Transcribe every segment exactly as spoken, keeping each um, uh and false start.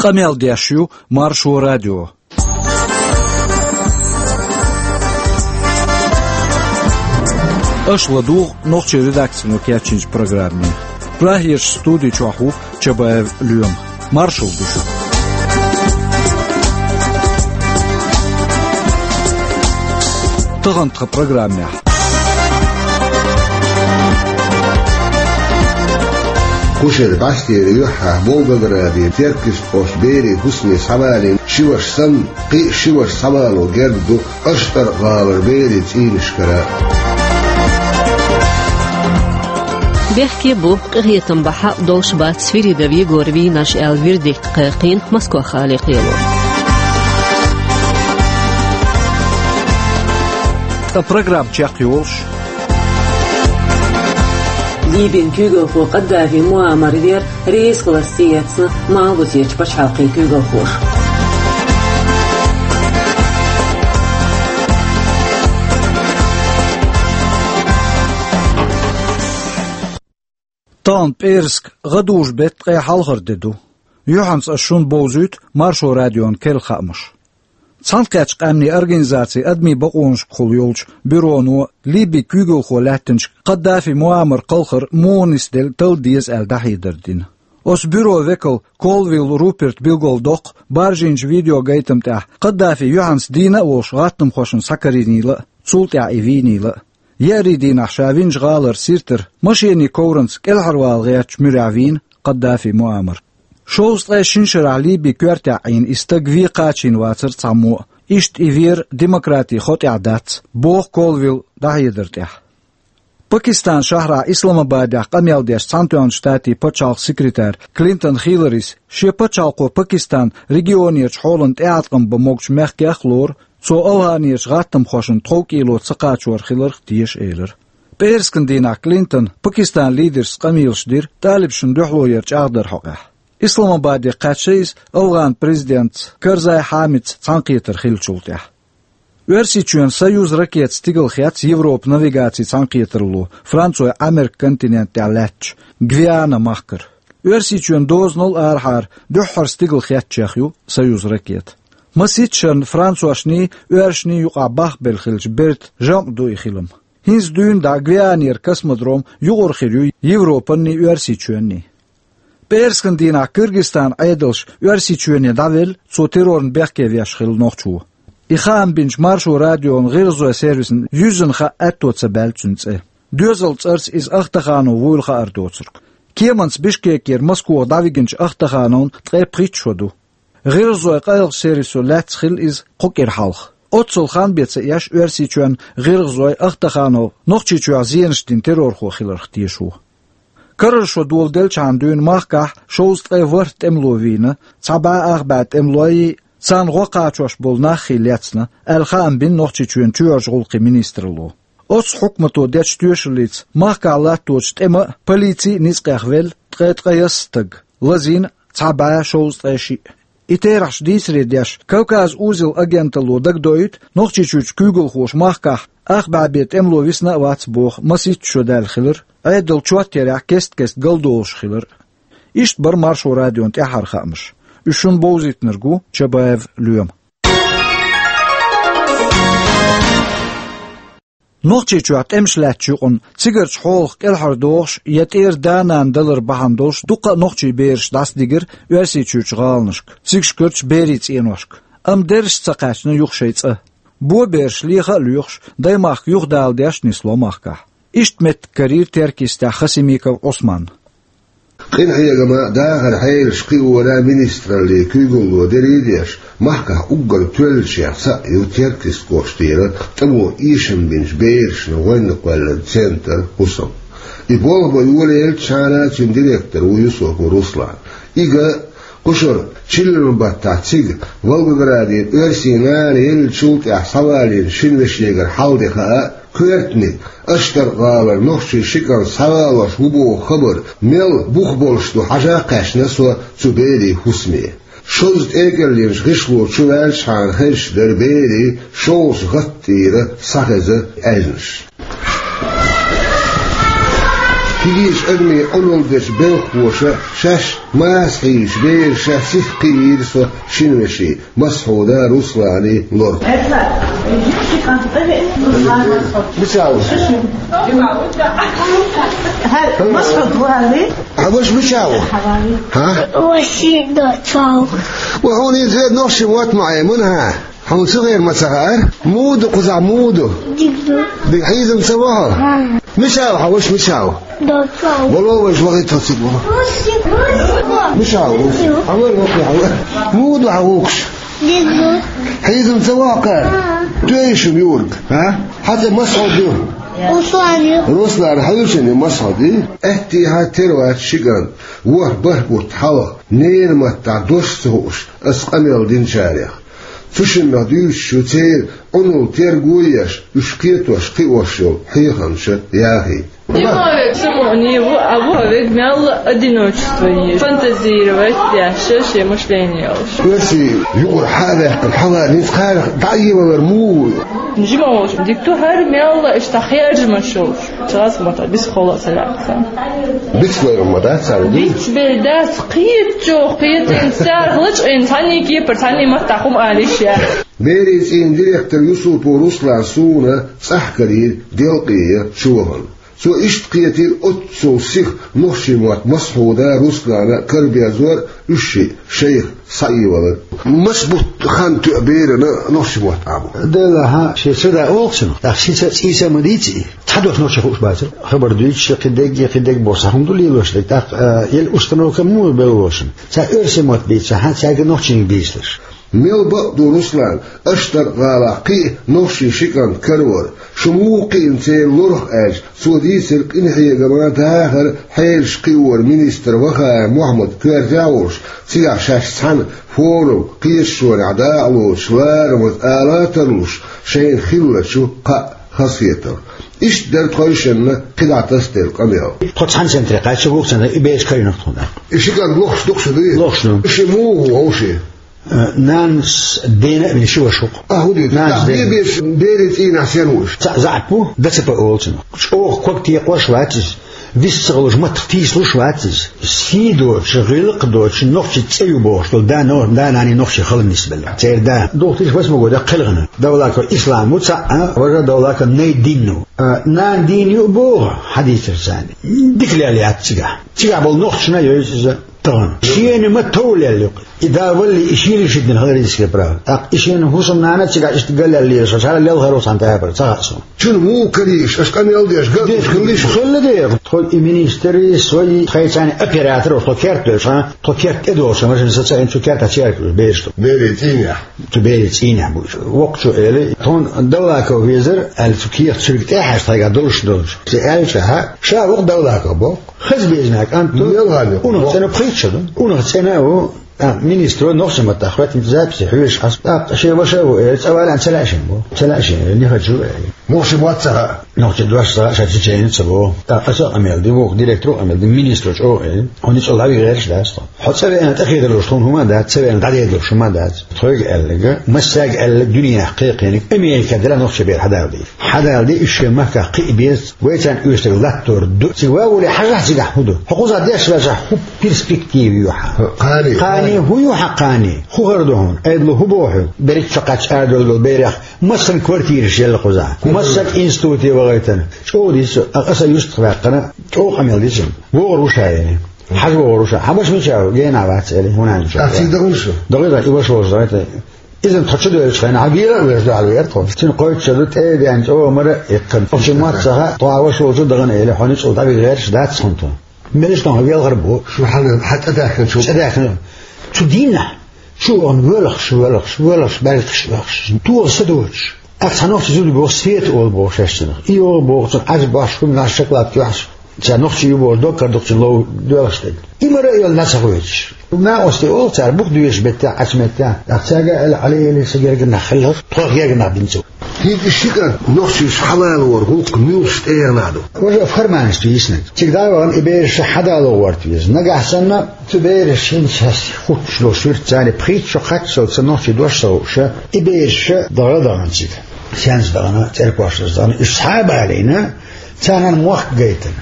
Къамел деш ю Маршо радио. Аша ладугӀу нохчийн редакцино кечйинчу программе. Прагерчу студи чохь ву Чабаев Лоьма. Маршалла ду шуьга. Тахана тхан программехь. Кху шеран бӀаьстенан юьххьехь Волгограде теркйистхошна берийн хӀусаме схьавалийна ши ваша санна, кхин а ши ваша схьавало герга ду АштӀаркхи-ГӀалара берийн цӀийнашкара. Бехке бу, къинхетам бахьа долуш бац Свиридов Егоран вийнарш аьлла вердикт кхайкхийна Москох-гӀалин кхело. Ткъа программа чекхйолуш. Ливин куьйгалхо Къаддафи Муаммар вер резахиларца тӀеэцна Малхбузерчу пачхьалкхийн куьйгалхоша. Тахана пӀераска гӀадужу-беттан ткъе хьалхара де ду. Юьхьанца ас шуна бовзуьйту Маршо радион керла хаамаш. Цхьаьнакхеттачу къаьмнийн организацин адамийн бакъонашкахула йолчу бюроно Ливин куьйгалхо лаьттинчу Къаддафи Муаммаран кхалхар муха нисделла талла деза аьлла дӀахьедар дина. Оцу бюрон векал Колвилл Руперта билгалдоккху баржийначу видеогайтам тӀехь Къаддафи юьхьанца дийна а волуш гӀаттамхошна схьакарийнийла а, цул тӀаьхьа и вийнийла а. Еарин дийнахь ша винчу гӀалара Сиртара машенийн ковранца кӀелхьарвала гӀертачу муьрехь вийна Къаддафи Муаммар. Шовзткъе шина шарахь Ливин коьртехь Ӏийна и стаг вен кхачийна вацара цхьаммо а, иштта и вер демократин хьокъехь дац, боху Колвилла дӀахьедар тӀехь. Пакистанан шахьарахь Исламабадехь къамел деш Цхьаьнатоьхначу Штатийн пачхьалкхан секретарь Клинтон Хилларис шен пачхьалкхо Пакистан регионерчу хьолан тӀеӀаткъам бан могучу мехкех а лору, цо АфгӀанерчу гӀаттамхошна тховкӀело ца кхачор хиларх теша элира. ПӀераскан дийнахь Клинтона Пакистанан лидерс къамелаш дира талибашна дуьхьало яран чӀагӀдаран хьокъехь. Исламабаде кхаьчна иза АфгӀанан президентца Карзай Хьамидца цхьаьнакхетар хиллачул тӀаьхьа. Оьрсийчоьнан Союз ракетаца стигала хецна Европан навигацин цхьаьнакхетарло Францойн Ӏамеркан континент тӀехь лаьттачу Гвиана махкара. Оьрсийчоьнан дозанал арахьара дуьххьара стигала хецначех ю Союз ракета. Масийтта шарна францошний, оьрсашний юкъахь бахбелла хиллачу бертан жамӀ ду и хилам. ХӀинца дуьйна дӀа Гвианера космодром юкъара хир ю Европанний, Оьрсийчоьнний. ПӀераскан дийнахь Кыргызстанан Ӏедалша Оьрсийчоьне дӀавелла, цо террорна бехке веш хилла нохчо. И хаам бинчу Маршо радион гӀиргӀазойн сервисна юьззина хаа аьтто ца баьлла цуьнан цӀе. Доьзалан цӀарца иза Ахтаханов вуйла хаар доцург. Кеманца Бишкекера Москох дӀавигначу Ахтахановна ткъе пхийтта шо ду. ГӀиргӀазойн къайлахчу сервисо лаьцна хилла иза кху кӀира хьалха. Оццул хан бен ца еш Оьрсийчоьнан гӀиргӀазой Ахтаханов Нохчийчохь зенаш дина террорхо хиларх теша ву. Карара шо доладелчхьана дуьйна махкахь шовзткъе ворхӀ тӀемало вийна, цхьа бӀе ах бӀе тӀемалой, царна гӀо кхачош болу наххий лецна, аьлла хаам бина Нохчийчоьнан чоьхьарчу гӀуллакхийн министралло. Оццу хьукмато дечу тоьшаллица махкахь латточу тӀеман а, полицин а ницкъех велла ткъе ткъайоьсна стаг, лазийна цхьа бӀе шовзткъе шиъ. И терахьаш дийцаре деш, Кавказ узел агенталло дагадоуьйту, Нохчийчуьрчу куьйгалхоша махкахь ах бӀе бен тӀемало висна а вац боху масийтта шо даьлла хилар, Ӏедал чот ярехь кест-кеста галдолуш хилар. Иштта бара Маршо радион тӀаьххьара хаамаш. Уьш шуна бовзийтинарг ву Чабаев Лоьма. Нохчийчохь тӀемаш лаьттачу юкъана цигарчу хьолах кӀелхьардохуш я тӀера да-нана далар бахьана долуш дуккха а нохчийн бераш дӀасадигира Оьрсийчуьрчу гӀаланашка, цигахкарчу берийн цӀеношка. Амма дерриш а ца кхаьчна юха шайн цӀа. Бо бераш леха а лоьхуш, даймахка юхадала деш нисло махкахь. Иштта меттиг карийра Теркйистехь Хасимиков Ӏусманна. Къинхьегаман, дахаран хьелаш кхиоран министраллин куьйгалло дерриг а деш, махкахь уггар тоьллачех цхьаъ ю Теркйист кӀоштара тӀамо эшам бинчу берашна гӀоьнна кхоьллина центр хӀусам. И болх бан йолаеллачхьана цуьнан директор ву Юсупов Руслан. И ган кхушара чиллан баттахь цига Волгоградера оьрсийн нана еллачул тӀаьхьа схьавалийна шина вешегара хьал де хаа, коьртаниг, АштӀаркхи-ГӀалара нохчийн ши кӀант схьавалош ву боху хабар мел бух болуш ду хьажа а кхаьчна со цу берийн хӀусаме. Шозза тӀекӀеллинчу гӀишло чу ваьллачхьана хезаш дара берийн шовзткъа гӀатта тӀера схьахеза аьзнаш. Кегийчу адамийн Ӏуналла дечу белхалоша шаьш маса хьийзаш, бераш шаьш сиха кхиийра со шина вешин, Масхьуда Русланан лорах. Мича ву? ХӀара Масхьуд ву аьлла? Хьан ваша мича ву? ХӀа? Васида цо. Ва хьуна иза веа нохчийн мотт ма Ӏе, муна хьан? Хьуна цу гӀера ма ца хаьара? Муха ду кхузахь, муха ду? Дика ду. Дика, хьийзам ца во хьо? Мича ву хьан ваша, мича ву? Вало вайша вахийта цига вало. Мича ву? Хьан вара воккхий хьан вара? Муха ду хьан вукхаш? Дика ду. Хьийзам ца во хьо кхара? Тоьий шуна юург, а? Хьан цӀе Масхьуд ю? Руслан ю. Руслан, хьуьйсанна Масхьуд ю? Аьттехьа тера вац ши кӀант. ВорхӀ-бархӀ бутт хьалха ненан маттахь дош ца хууш аса къамел динчарех. Цу шиннах дуьйцуш ю церан Ӏуналла терго а еш, уьш кхетош-кхиош йолу хьехамаш яхийта. Человек самоуни ву, а ву а вега мелла одиночество еза. Фантазировать деш, шен мышление йолуш. Оьрсийн юкъара хьа а ваьккхина, хьалха ницкъ кхарах дӀа а евалар муха ву? Жима волуш, дика ду хӀара мелла иштта хержамаш йолуш. Цхьацца ма-дац, бицбелла ца лаьцна. Бицбелла ма-дац цара, ду? Бицбелла дац, кхетачо кхетийна, цара лачкъийна, цхьанний кепара, цхьанний маттахь хӀума ала йиш яц. Берийн цӀийнан директор Юсупов Руслан суна цӀахь карийра делкъе чу вахана. Цо иштта кхетийра оццул сиха нохчийн мотт Масхьуда Руслана караберзор а, уьш шиъ шайх схьаевалар. Маса бутт хан тоьа берана нохчийн мотт Ӏамор? Делахь, шен ца да олу цунах, тӀаккха ши цӀа, цӀийца а ма дийца и. Цхьа дош нохчийн хууш бацара. Хабар дуьйцуш, кхин дерг а, кхин дерг а бохуш, хӀума ду лелош дерг. ТӀаккха, а, елла установка муха белла волчун? Цхьа оьрсийн мотт бийцахь, цаьрга нохчийн дийцалаш. Мел бакъ ду, Руслан, Аштаркх-гӀалахь кхин а нохчийн ши кӀант каравар. Шу муха кхиъна церан лорах аьлча, цо дийцира къинхьегаман, дахаран хьелаш кхиоран министр Вахаев Мухьаммад коьртехь а волуш, цигахь шаьш цхьаьна форум, кхеташонехь дакъалоцуш, ларамаза ала а тарлуш, шайна хиллачу кхаа хазахетарх. Иштта дара тхойшинна кхидӀа тасделла къамел. Тхо цхьана центре кхаьчча, вукху центре и бераш карийна тхуна. И ши кӀант лохуш ду-кх шу, дуй? Лохуш ду. Ши муха ву вовшийн? Э, нанас дена а вина ши ваша ву-кх. А, хӀун ду? Нанас дена. Бе-, беш, берийн цӀийнахь сен ву уьш? Цхьаъ заьӀап ву, ДЦП олу цунах. ЧӀогӀа ког текхош вац иза. Вист ца хуьлуш, маттах тийсалуш вац иза. Сий доцуш, гӀиллакх доцуш, нохчийн цӀе ю бохуш долу да, но-, да-нана нохчийн хала нисбелла. Церан да. Духтиш васмагода кхелхина. Давлаков Ислам ву цхьаъ, а, важа Давлаков Найдин ву. А, нана дийна ю а боху, хьадийцар царна. Дика лелла яц цигахь. Цигахь болу нохчашна йойзу иза. Тахана. Шена ма товлаелла ю-кх. И да валли, и шийла ши дина хала риска права. ТӀаккха и шена хӀусамнана цигахь иштта галлал лелаш, хӀара лелхаро цхьана тӀе а бара, ца хаьа суна. Чун муха карийша, аша къамел деш, ган уьш хилла шу? Хилла дера. Тхо и министри, со и тхайцарна оператор, тхо керт доьлча, тхо керт тӀе долуш, машина сацаийна цу кертахь черкаш бераш ду. Берийн цӀийнехь. Цу берийн цӀийнехь бу уьш. Воккхачо эли, тхуна Давлаков везар, аьлла цу кехат цуьрга тӀе а хьаьжча, тхайгахь долуш долчу. Ци аьлча, хьа, ша ву-кх Давлаков боху. Хаза безина кӀант ду. Мел ханна ю? Унах цӀена пхийтта шо ду. Унах цӀена ву. ТӀаккха министро нохчийн маттахь хӀоьттинчу записи хьоьжуш хьаста. ТӀаккха шен ваша а ву, эли, цӀа валлехь ца лаьа шена боху. Ца лаьа шена, эли, не хочу, эли. Нохчийн мотт ца хаьа. Нохчийн дош ца хаьа, ша чеченец а боху. ТӀаккха аса а къамел ди, вукху директоро а къамел ди, министро чӀогӀа эли. Хьо ницкъала дӀавига гӀерташ дац тхо. Хьо цӀа веана тӀехедалуш, тхуна хӀума дац, цӀа веана дӀадедалуш хӀума дац. Тхоьга аьлларг, массаьрга аьлларг дуьненахь кхайкхинарг, Америка дара нохчийн бер хьадалдийр. Хьадалди уьш шен махкахь кхиа беза, вай царна оьшург латтор ду. Цига ван волий хьажахь цигахь хӀун ду? Хьо кхузахь деш ваьлчахь хӀун перспектива ю хьан? Кхане. Кхане, хӀун ю хьан кхане? ХӀун хӀара ду хьуна? Айдало хӀун боху хьоьга? Берриг чо кхаьчча арадевлла долу берех массанхьа квартираш елла кхузахь. Массанхьа институте вахийтина. ЧӀогӀа дийца, аса юьстах ваьккхина, чӀогӀа къамел дича. ВогӀур ву ша, эли. Хьажа вогӀур ву ша. Хьан ваша мича ву? Гена вац, эли. ХӀунда аьлча? Ах, цига дагӀана шу? ДагӀийра, и ваша волчу дагӀийта. Иза тхо чу доьлучу хенахь, хьан вела а веш ду, хьан вера тхо. Цуьнан кхойтта шо ду, тӀе а деана, чӀогӀа мара а иккхина. Оцу мотт ца хаьа, тхо хьан ваша волчу дагӀана, эли, хьо ницкъала дӀавига гӀерташ дац хьуна тхо. Мелаш тхо хьан велхар бу? Шу хьан, хьан цӀа даьхкина шу? ЦӀа даьхкина. Цу дийнахь. Чу вахана воьлхуш, воьлхуш, воьлхуш, баьргаш воьлхуш. Тоха са доцуш. Ах, цхьа нохчи зуда боху, Света олу боху шаьш цунах. И йогӀу боху цунах, Ӏаж бахьаш, хӀуманаш, шоколадка юьхьаш. Цхьа нохчи ю боху, доккхар дукха цуьнан лов доьлхуш дерг. И мара а йолу нах ца хоьцуш. Накъостий олу цара, бух доьшуш меттехь, Ӏачу меттехь. Ах, цаьрга аьлла, Ӏали, эли, сан гергара нах хилла, тхох гергара нах бина цо. ХӀинца и ши кӀант нохчийчу хьалалоран гӀуллакх муьлхачу тӀегӀанехь ду? Важа формальность ю йиснарг. Цига дӀа а вахана, и бераш хьадало гӀорта веза. Нагахь санна, цу бераш хӀинца хьаьс хуттуш долу суьртаца, пхийтта шо кхаччалц нохчийн дош ца хууш, и бераш дагӀа а дагӀана цига. Сенца дагӀана, церкошлаца дагӀана, уьш схьа а балийна, царна мохк гайтина.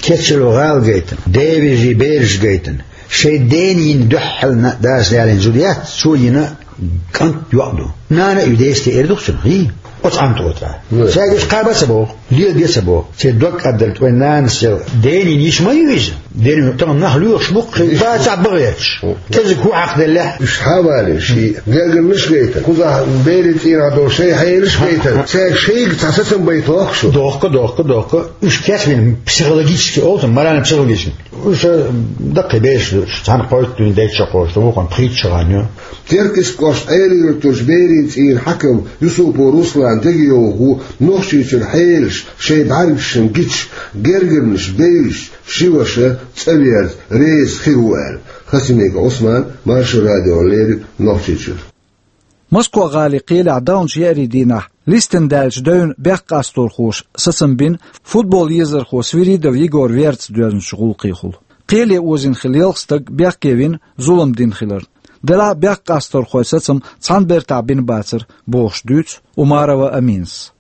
Кечало гӀала гайтина, девижи бераш гайтина, шайн дена йина дуьххьална дас лаьллина зуда яц, цо йина кӀант йоӀ ду. Нана а ю, десте эр ду цунах, йий? Оцу Ӏамтота. Цаьрга уьш кхаба ца боху, леладе ца боху. Церан дог кӀаддалла вайн нанас ял. Дена йина йиш ма ю иза. Дена йина тахана нах лоьхуш бу-кх, хи, бацахь бахьа гӀерташ. Кхезиг хӀун хьакхаделлехь? Уьш хьавале, ши гергарнаш а гайтар. Кхузахь берийн цӀийнахь долу шайн хьелаш а гайтар. Цаьрга шайга цхьа сацам байта дохку шу? Дохку, дохку, дохку. Уьш кечвина психологически олу, морально-психологически. Уьш даккхий бераш ду, цхьаьна кхойтта дуьйна дайта шо кхочуш ду, вукхунна пхийтта шо гӀан ю. Теркйист кӀоштан Ӏелин-Юьртарчу берийн цӀийнан хьаькам Юсупов Руслана дегайовхо ву Нохчийчуьра хьелаш шайн бӀаьргашна гича, гергарнаш бевзаш ши ваша цӀа верза реза хир ву аьлла. Хасимиков Ӏусман, Маршо радиона леррина, Нохчийчуьра. Москва-гӀалин кхелехь давначу еарин дийнахь листина даьллачу девнна бехк къасторхоша сацам бина футбол езархо Свиридов Егор верца доьзначу гӀуллакхехула. Кхеле озийна хилла ялх стаг бехке вина зулам дина хиларна. Делахь а бехк къасторхойн сацам цхьана бертахь бина бацара, бохуш дуьйцу Умарова Аминас.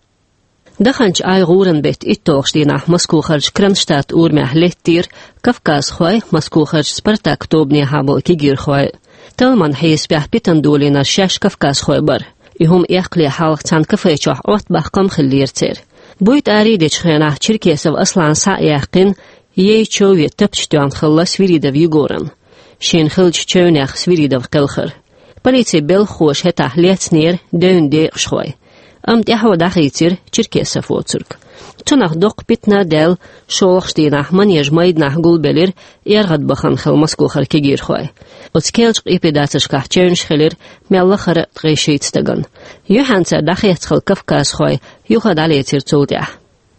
Даханчу Ӏай гӀуран беттан итталгӀачу дийнахь Москохарчу Кронштадт урамехь леттера кавказхой, Москохарчу «Спартак» тобанехьа болу кегийрхой. Талламан хьесапехь питана долийнарш шаьш кавказхой бара. И хӀума эккхале хьалха цхьана кафе чохь Ӏоттабаккха хӀума хиллера церан. Буьйта арий дечу хенахь Черкесов Аслана схьа а яьккхина, ей чов я тапча тоьхна хилла Свиридов Егорна. Шена хиллачу чевнех Свиридов кхелхира. Полицин белхахоша хӀетахь лецнера девнна декъашхой. Амма тӀаьхьо дӀахийцира Черкесов воцург. Цунах доккха питана а даьлла, шолгӀачу дийнахь манежан майданахь гулбелира эргӀадбахана хилла Москохара кегийрхой. Оцу керлачу къепедацаршкахь чевнаш хилира мел лахара а ткъе шийтта стагана. Юьхьанца дӀахецна хилла кавказхой юха дӀалецира цул тӀаьхьа.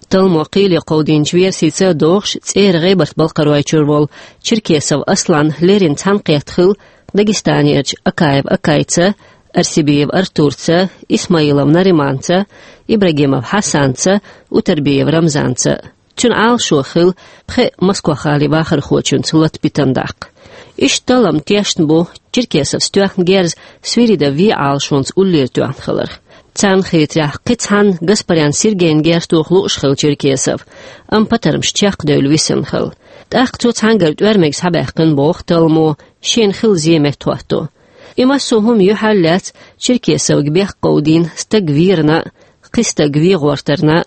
Талламо кхеле кховдийначу версица а догӀуш, цӀера ГӀебарта-Балкхаройчуьра волу Черкесов Аслан леррина цхьаьнакхетта хилла Дагестанерчу Акаев Акайца, Арсибиев Артурца, Исмаилов Нариманца, Ибрагимов Хьасанца, Утарбиев Рамзанца. Цуьнан Ӏалашо хилла пхеа Москва-гӀалин вахархочуьнца лата питана даккха. Иштта таллам тешна бу Черкесовс тоьхна герз Свиридов вен Ӏалашонца уллера тоьхна хиларх. Царна хетарехь, кхин цхьанна Гаспарян Сергейн герз тоха лууш хилла Черкесов, амма патармаш чекхдевлла висина хилла. ТӀаккха цо цхьаьнгара тӀоьрмиг схьабаьккхина, боху талламо, шена хилла зен меттахӀотто. И массо а хӀума юьхьарлаьцна Черкесовга бехк кховдийна стаг верна а, кхин стаг вен гӀортарна а,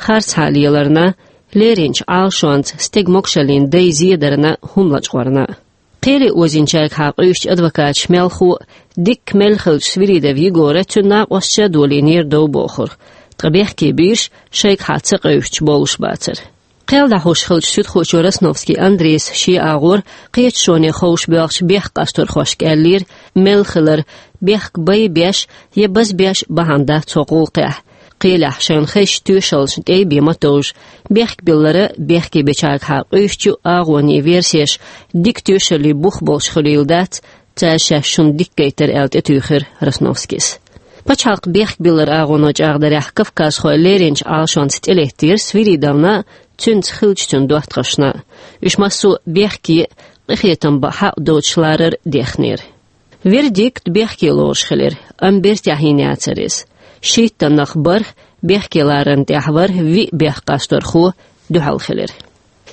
харцахьа леларна а, леринчу Ӏалашонца стеган могушаллин дай зедарна а, хӀума лачкъорна а. Кхеле озийначаьргахьа къуьйсучу адвокаташа мелхо а, дикка мелла хиллачу Свиридов Егора цуьнан накъосташа а долийнера дов бохург, ткъа бехке бийраш шайгахьа ца къевсачу болуш бацара. Кхел дӀахьош хиллачу суьдхочо Росновский Андрейс шен агӀор кхеташоне ховшабоьлхучу бехк къасторхошка аьллера, мелла хилар бехк бай беш я базбеш бахьана дац цо гӀуллакхехь. Кхелехь шайна хезачу тоьшаллашна тӀе а бен ма товжа, бехк биллара бехке бечаьргахьа къуьйсучу агӀонийн версеш дика тоьшаллин бух болуш хуьлийла дац, цара шаьш шуна дика гайтара аьлла тӀетуьйхира Росновскийс. Пачхьалкхан бехк биллар агӀоно чӀагӀдарехь, кавказхой леринчу Ӏалашонца тӀелеттера Свиридовна а, цуьнца хиллачу цуьнан доттагӀашна а. Уьш массо а бехке а, къинхетам бан хьакъ доцуш ларар а дехнера. Вердикт бехке лоруш хилира, амма бертехь йина яцара иза. Шийттаннах бархӀ, бехке ларарна тӀехь вара виъ бехк къасторхо дуьхьал хилира.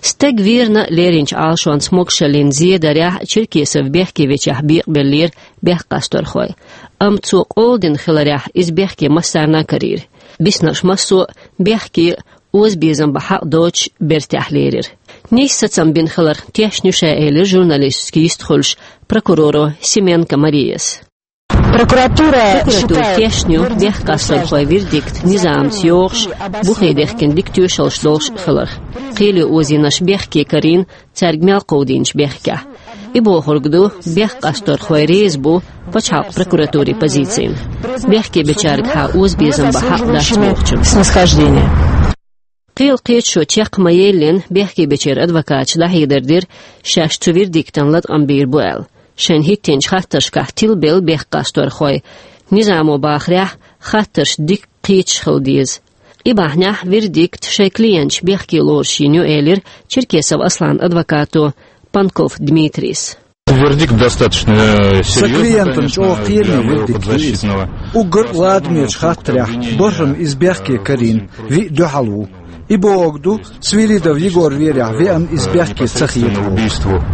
Стаг верна а, леринчу Ӏалашонца могушаллин зен дарехь а Черкесов бехке вечехь бекъабеллера бехк къасторхой. Амма цо къола дина хиларехь, иза бехке массарна а карийра. Биснарш массо а бехке а, озабезам бан хьакъ доцуш бертехь лерира. Нийса сацам бина хиларх тешна ю ша, элира журналисташка йистхуьлуш прокуроро Семенко Марияс. Прокуратура Прокуратура считает тешна ю вердикт бехк къасторхойн вердикт низамца йогӀуш, бухе дехкина дика тоьшаллаш долуш хиларх. Кхеле озийнарш бехке карийна, цаьрга мел кховдийначу бехкехь. И бохург ду, бехк къасторхой реза бу пачхьалкхан прокуратурин позицина. Бехке бечаьргахьа озабезам бан хьакъ дац бохучун. Снисхождение. Кхелан кхеташо чекх ма еллина, бехке бечеран адвокаташа дӀахьедар дира, шаьш цу вердиктан латкъам бийр бу аьлла. Шайна хӀиттинчу хаттаршкахь тилабелла бехк къасторхой, низамо бахарехь, хаттарш дика кхеташ хила деза. И бахьанехь вердикт шайн клиенташ бехке лоруш йина ю, элира Черкесов Асланан адвокато Панков Дмитрийс. Вердикт достаточно, э, серьёзный, конечно, для моего подзащитного. Сан клиентан чӀогӀа кхераме вердикт ду иза. Уггар а ладамечу хаттарехь бархӀ-м иза бехке карийна, виъ дуьхьал ву. И бохург ду, Свиридов Егор верехь веана иза бехке ца хетар.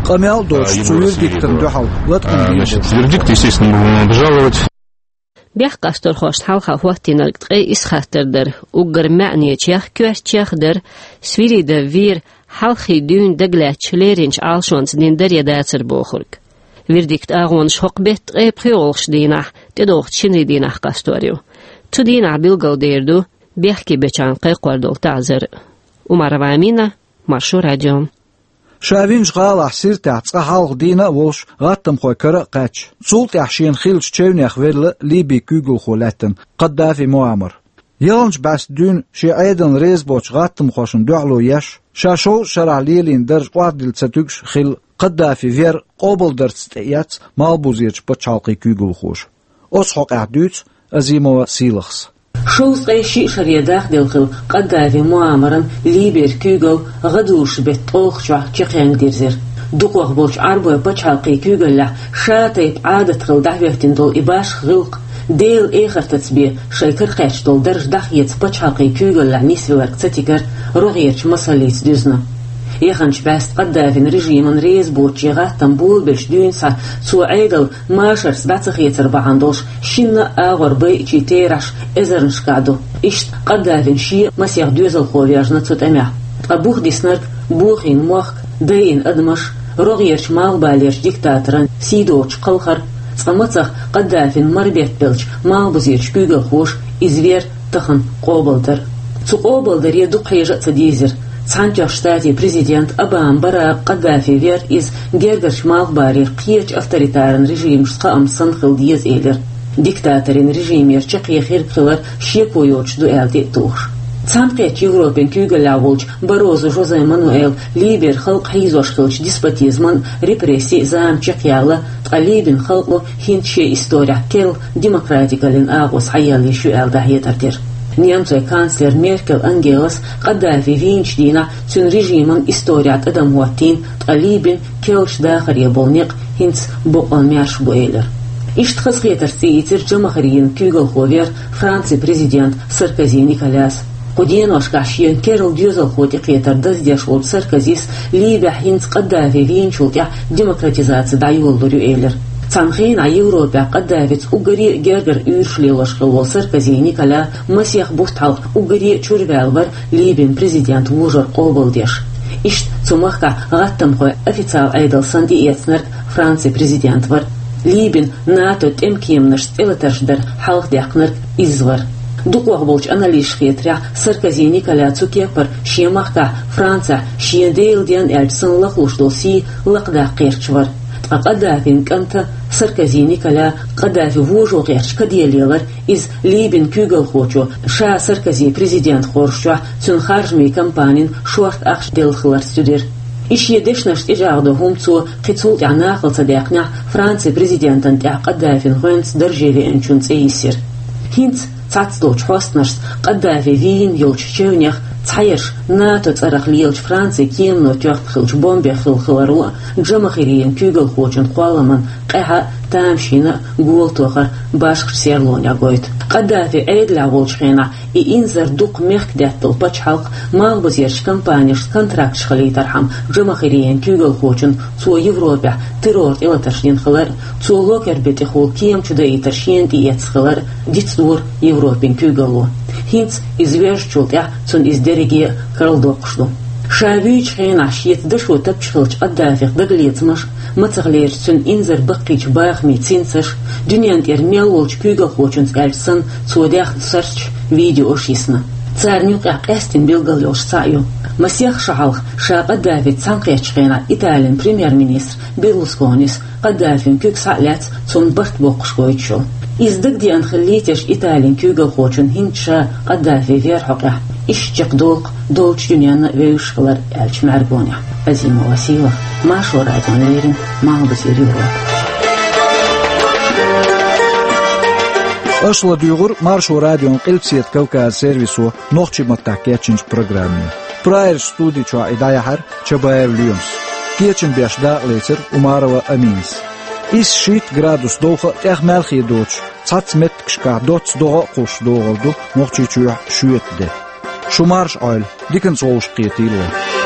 Къамел а доцуш, цу вердиктана дуьхьал латкъам бийр бу. Значит, вердикт, естественно, мы будем обжаловать. Бехк къасторхошна хьалха хӀоттийнарг ткъе исс хаттар дара, уггар маьӀнечех, коьртачех а дара, Свиридов Вера хьалххе дуьйна дагалаьцначу леринчу Ӏалашонца дина дара я дацара бохург. Вердикт агӀонаш хӀокху беттан ткъе пхоьалгӀачу дийнахь, тӀедогӀучу шинарин дийнахь къастор ю. Цу дийнахь билгалдер ду бехке бечарна кхайкхор долу таӀзар. Умарова Амина, Маршо радио. Ша винчу гӀалахь Сиртехь цкъа хьалха дийна а волуш, гӀаттамхойн кара а кхаьчна, цул тӀаьхьа шена хиллачу чевнех велла Ливин куьйгалхо лаьттина Каддафи Муаммар. Ялханчу бӀаьста дуьйна шен Ӏедална реза боцчу гӀаттамхошна дуьхьало еш, ша шовзткъа шарахь лелийна даржа охьадилла ца туьгуш хилла Каддафи Вера къобалдарца тӀеэцна Малхбузерчу пачхьалкхийн куьйгалхоша. Оцу хьокъехь дуьйцу Азимова Сийлахьас. Шовзткъе шиъ шаре дахделла хилла Каддафи Муаммаран Ливера куьйгалла гӀадужу беттан ткъолгӀачохь чекхъяьнга дирзира. Дукхах болчу Ӏарбойн пачхьалкхийн куьйгаллехь ша тайпа Ӏадат хилла дӀахӀоьттина долу и башха гӀиллакх, Делан эхартаца бен шайн кара кхаьчна долу даржа дӀахеца пачхьалкхийн куьйгаллехь нисвелларг ца тигара рогӀерчу масаллица дуьзна. Яханчу бӀаьста Каддафин режимна реза боцуш и гӀаттам болабелчу дуьйна схьа цо Ӏедал машарца дӀа ца хецар бахьана долуш шинна а агӀор байинчийн терахьаш эзарнашкахь ду. Иштта Каддафин шен а масех доьзалхо ваьржина цу тӀамехь. Ткъа бух диснарг бохийна мохк, дайина адамаш, рогӀерчу Малхбалерчу диктаторан сий доцуш кхалхар, цкъа мацах Каддафин марбеттабеллачу Малхбузерчу куьйгалхоша иза Вера тахана къобалдар. Цу къобалдаре дукха хьежа а ца дийзира. Цхьаьнатоьхначу Штатийн президент Обама Барака Каддафи Вера иза гергарчу Малхбалера кхечу авторитаран режимашца кхаамца санна хила деза элира, диктаторийн режимера чаккхе хирг хилар шеко йоцуш ду аьлла тӀе а тухуш. Цхьаьнакхеттачу Европин куьйгаллехь волчу Баррозу Жозе Мануэла Ливера халкъ хьийзош хиллачу деспотизман а, репрессийн а зама чекхъяьлла, ткъа Ливин халкъо хӀинца шен исторехь керла демократикаллин агӀо схьаелла йиш ю аьлла дӀахьедар дира. Немцойн канцлер Меркель Ангелас Каддафи вийначу дийнахь цуьнан режиман исторехь тӀадам хӀоттийна, ткъа Ливин керла дахаре болу некъ хӀинца бокъонан маьрша бу элира. Иштта хазахетарца цӀийцира Жамахарин куьйгалхо Вера Францин президента Саркози Николяс. Кху деношкахь шена керла доьзалхо тӀекхетар даздеш волчу Саркозис Ливехь хӀинца Каддафи вийначул тӀаьхьа демократизаци дӀайолалур ю элира. Цхьана хенахь Европехь Каддафица уггаре а гергара уьйраш лелош хилла волу Саркози Николя масех бутт хьалха уггаре а чуьра ваьлла вара Ливин президент вожар къобалдеш. Иштта цу махкахь гӀаттамхойн официал Ӏедал санна тӀеэцнарг Францин президент вара. Ливин НАТО тӀемкеманашца тӀелатарш дар хьалха даьккхинарг иза вара. Дукхох болчу аналитикаша хетарехь, Саркози Николя цу кепара шен махкахь Францехь шен Делан денна аьлча санна лахлуш долу сий лакхадаккха гӀерташ вара. Ткъа Каддафин кӀанта Саркози Николя Каддафи вожо гӀерташ каде лелар иза Ливин куьйгалхочо, ша Саркози президент хоржучохь цуьнан харжамийн кампанин шорта ахча делла хиларца туьдира. И шен дешнаш тӀечӀагӀдо хӀума цо кхин цул тӀаьхьа нахала ца даьккхинехь, Францин президентан тӀехь Каддафин гӀоьнца дарже веанчун цӀе йисира. ХӀинца цхьацца долчу хьостанашца Каддафи вийна йолчу чевнех цхьаерш НАТО цӀарах лелачу Францин кемано тоьхна хиллачу бомбех хилла хиларо а, Жамахирин куьйгалхочун кхолламан къаьхьа а, тамашийна а гола тохар башхачу серлонех гойту. Каддафи Ӏедалехь волчу хенахь и инзар дукха мехкдаьтталу пачхьалкх малхбузерчу компанешца контракташ хилийтархьама, Жамахирин куьйгалхочун цо Европехь террор тӀелатарш дина хилар а, цо локер бен тӀехула кема чу даийтар шена тӀеэцна хилар а дицдора Европин куьйгалло. ХӀинца иза вежначул тӀаьхьа цунна иза дерриге а карладоккхуш ду. Ша вуьйчу хенахь шеца дашо тапча хиллачу Каддафих дагалецамаш, мацахлерчу цуьнан инзар баккхийчу бахамийн цинцаш, дуьнен тӀера мел волчу куьйгалхочуьнца аьлча санна, цо даьхна сурташ, видеош йисна. Царна юкъехь къаьстина билгал йолуш цхьаъ ю. Масех шо хьалха ша Каддафица цхьаьнакхеттачу хенахь Италин премьер-министр Берлусконис Каддафин куьг схьа а лаьцна, цунна барт боккхуш гойтуш йолу. Иза дагадеана хиллийтеш Италин куьйгалхочун хӀинца ша Каддафи Вера хьокъехь, иштта чекхдолу-кх долчу дуьненна а вевзаш хилар аьллачу мӀаьргонехь. Азимова Сийлахь, Маршо радиона леррина, Малхбузера Европа. Аша ладуьйгӀура Маршо радион Къилбаседа Кавказан сервисо нохчийн маттахь кечйинчу программе. Прагерчу студи чохь и дӀаяьхьира Чабаев Лоьмас. Кечам беш дакъалецира Умарова Аминас. Исс-шийтта градус довха а, тӀех маьлхе доцуш, цхьацца меттигашкахь доцца догӀа а кхуссуш догӀур ду Нохчийчохь шоьтан де. Шу марша Ӏойла, диканца вовшахкхетийла вай.